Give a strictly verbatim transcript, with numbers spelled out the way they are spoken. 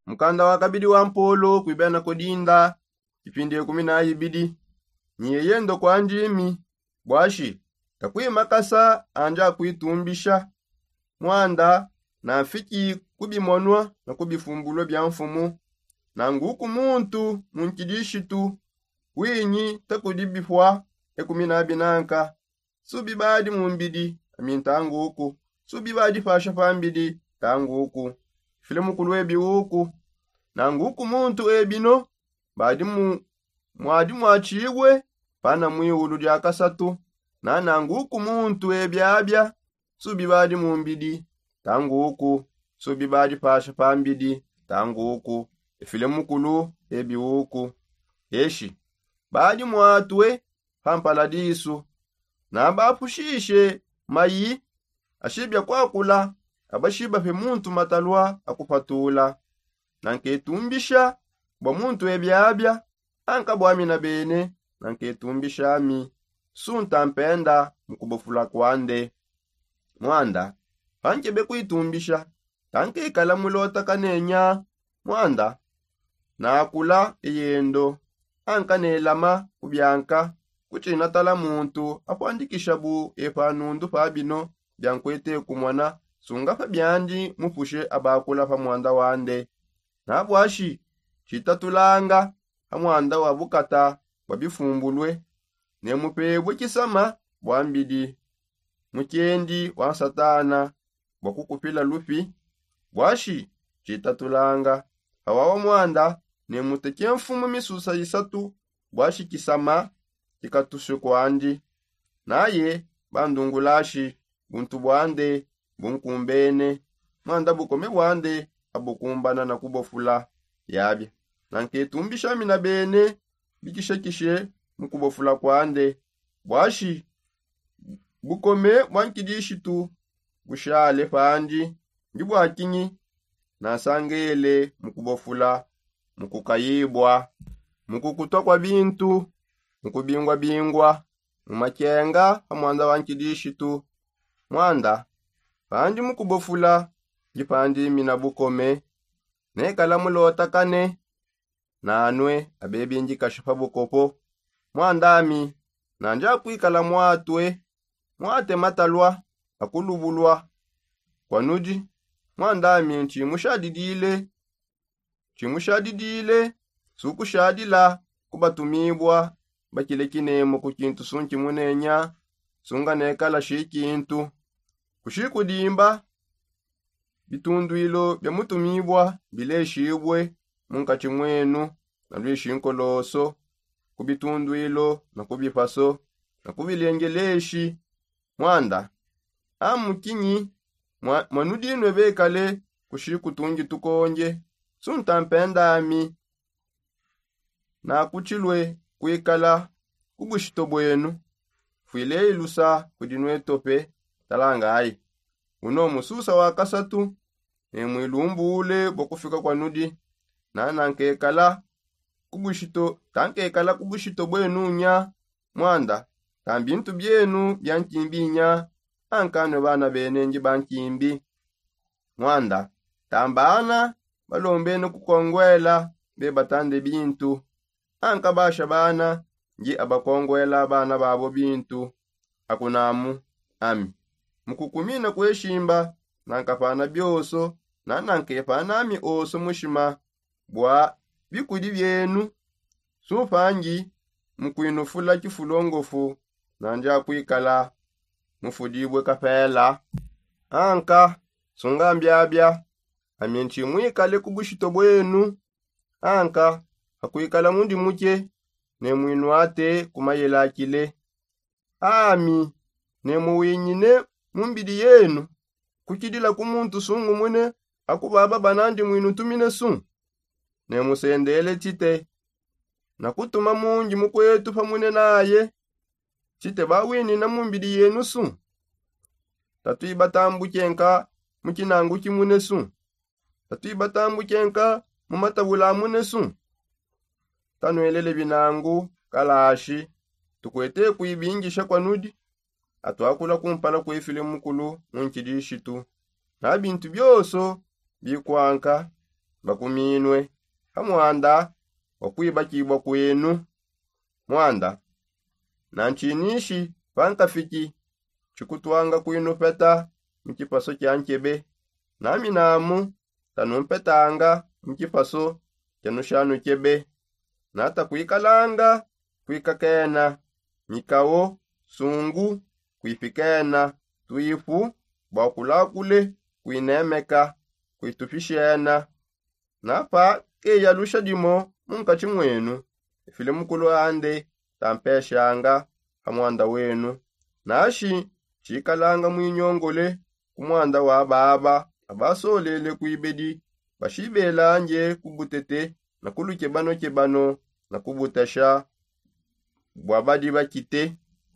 Mukanda wa kabidi wa mpolo kuibena kudinda, ipindi ekumi na ibidi. Ni eyendo kwa ndimi bwashi, takuimakasa andi akuitumbisha. Mwanda, na mfiki kubimonwa na kubifumbulwa bia mfumu. Na nguku muntu mu nkidishitu winyi takudi bifwa ekumi na binanka. Subibadi mu mbidi, ami ntanguku. Subibadi pasha pa mbidi, ntanguku. File mukulu ebiuku. Na nguku muntu ebino badi mu mwadi mwatshibue pana mwiulu dia kasatu. Na nanguku muntu ebiabia, subibadi mu mbidi, ntanguku. Subibadi pasha pa mbidi, ntanguku. Efile mukulu ebiuku. Eshi badi mwatue pa mpaladisu. Nabapushishe mayi ashibia kwakula. Abashiba pe muntu matalua akupatula. Nanketumbisha bua muntu ebiabia. Anka bwami na bene nanketumbishami. Sunta mpenda mu kubofula kwande. Mwanda, pankebe kuitumbisha, tankekala mulota kanenya. Mwanda, nakula eyendo. Anka nelama kubianka. Kutshina tala muntu apuandikisha bu epa nundu pa bino bia nkuete kumona. Sunga pa biandi mupushe abakula pa mwanda wande. Nabwashi tshitatulanga ha mwanda wa bukata bwa bifumbulue. Ne mupebue tshisama bwa mbidi mukiendi wa nsatana bwa kukupila lupi. Bwashi tshitatulanga hawawa mwanda ne muteke mfumu misusa isatu. Bwashi tshisama tshikatusue kwandi. Naye bandungulashi buntu bwande bunkumbene. Mwanda bukome bwande abukumbana na kubofula. Yabia nanketumbishami na bene bikishekishe mu kubofula kwande. Bwashi bukome bwa nkidishitu bushale pandi. Ndi bwa kinyi? Nansangele mu kubofula, mu kukayibua, mu kukutua kwa bintu, mu kubingua-bingua, mu makenga pa mwanda wa nkidishitu. Mwanda, pandi mu kubofula ndi pandi mina bukome. Nekala mulotakane nanue abebi ndikasha pa bukopo. Mwandami, nandi akuikala mwatue, mwate matalua akulubulua kwa nudi. Mwandami ntshimushadidile, ntshimushadidile sukushadila kubatumibua bakile kinemu ku kintu sunki munenya. Sunga nekala shikintu kushikudimba. Bitunduilo bia mutumibua bileshibue munkatshi muenu na luishi nkoloso ku bitunduilo na ku bipaso na ku bilengeleshi. Mwanda, amu kinyi mwanudinue bekale kushikutungi tukonge? Sunta mpendami nakutshilue kuikala ku bushito buenu. Fuileyi lusa kudi nuetope. Talangayi, uno mususa wa kasatu ne muilumbule bua kufika kwa nudi. Nana nkekala ku bushito tankekala ku bushito buenu nya. Mwanda, ta mbintu bienu bia nkimbi nya. Ankanue bana bene ndi ba nkimbi. Mwanda, ta mbana balombene kukonguela bebatande bintu. Anka basha bana ndi abakonguela bana babo bintu. Akunamu ami mukukumina kueshimba. Nankapana bioso nana nkepanami oso mushima bua bikudi bienu. Sumpangi mukuinufula kifulongofu nandi akuikala mufudibue kapela. Anka sunga mbiabia ami ntshimuikale ku bushito buenu. Anka akuikala mundi muke ne muinuate ku mayelakile. Ami ne muwinyine mu mbidi yenu kukidila ku muntu sungumune akubaba banandi muinutumine su. Ne musendele tshite na kutuma mundi mukuetu pamune naye. Tshite bawinina mu mbidi yenu su. Tatuibatambuke nka mu kinangu kimune su. Tatuibatambuke nka mu matabula amune su. Tanuelele binangu kalashi tukuete kuibingisha kwa nudi. Atuakula kumpala kuefile mukulu mu nkidishitu na bintu bioso bikuanka. bakuminue ha muanda wa kuibakibua kuenu. Muanda, na ntshinishi pankafiki tshikutwanga kuinupeta mu tshipaso tshia nkebe, nami namu tanumpetanga mu tshipaso tshia nushanu nkebe. Nata kuikalanga kuikakena mikao, sungu, kuipikena tuipu bua kulakule, kuinemeka, kuitupishena. Napa keyalusha dimo munkatshi muenu, ifile mukulu ande tampeshanga ha muanda wenu. Nashi tshikalanga muinyongole ku muanda wa baba abasolele kuibedi, bashibelanje ku butete na ku lukebanokebano na ku butasha bua badi bakite.